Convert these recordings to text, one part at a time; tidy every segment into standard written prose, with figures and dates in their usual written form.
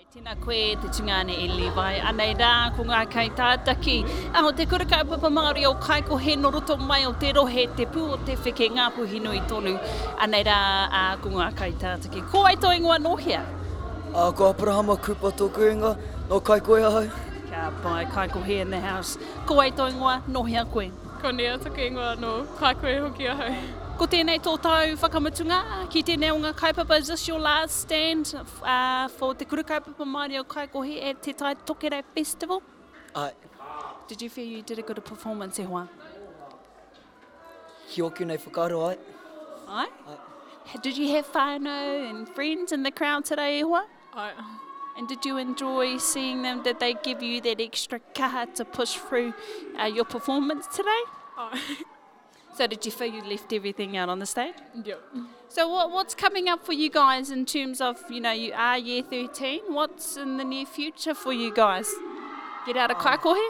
Tēnā koe te tungāne e Levi. Anei rā ko ngā kaitātaki o Te Kura Kaupapa Māori o Kaikohe nō roto mai o te rohe Te Pū o Te Wheke, Ngāpuhi nui tonu. Anei rā ko ngā kaitātaki. Ko wai tō ingoa nō hea? Ko Aperahama Cooper tōku ingoa, nō Kaikohe ahau. Ka pai, Kaikohe in the house. Ko wai tō ingoa, nō hea koe? Ko Nia taku ingoa, nō Kaikohe hoki ahau. Ko tēnei tō tau whakamutunga ki tēnei o ngā kaupapa, is this your last stand for Te Kura Kaupapa Māori o Kaikohe at Te Tai Tokerau Festival? Āe. Did you feel you did a good performance e hoa? Ki ōku nei whakaaro, āe. Āe? Āe. Did you have whānau and friends in the crowd today e hoa? Āe. And did you enjoy seeing them? Did they give you that extra kaha to push through uh, your performance today? Āe. So did you feel you left everything out on the stage? Yep. So what, what's coming up for you guys in terms of, you know, you are year 13. What's in the near future for you guys? Get out of Kaikohe?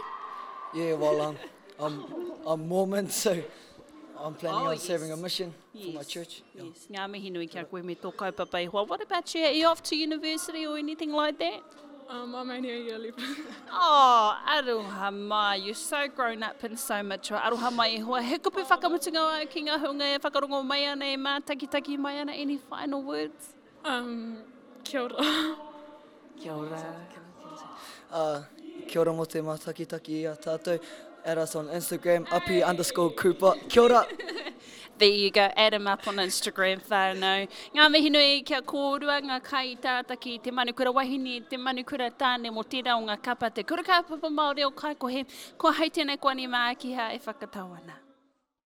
Yeah, well, um, I'm, I'm Mormon, so I'm planning oh, on yes. serving a mission yes. for my church. Yeah. Yes, ngā mihi nui kia koe me tō kaupapa e hoa. What about you? Are you off to university or anything like that? Um, I'm only a year 11. oh, aroha mai. You're so grown up and so mature. Aroha mai e hoa. He kupu whakamutunga au ki ngā hunga e whakarongo mai ana, e mātakitaki mai ana. Any final words? Um, kia ora. Kia ora. Uh, kia ora mō te mātakitaki i a tātou. Add us on Instagram, api underscore Cooper. Kia ora! There you go, add him up on Instagram whānau. Ngā mihi nui kia kōrua, ngā kai tātaki, te manukura wahine, te manukura tāne mō tērā o ngā kapa, te kura kaupapa Māori o Kaikohe, ko hei tēnei koani mākiha e whakatau ana.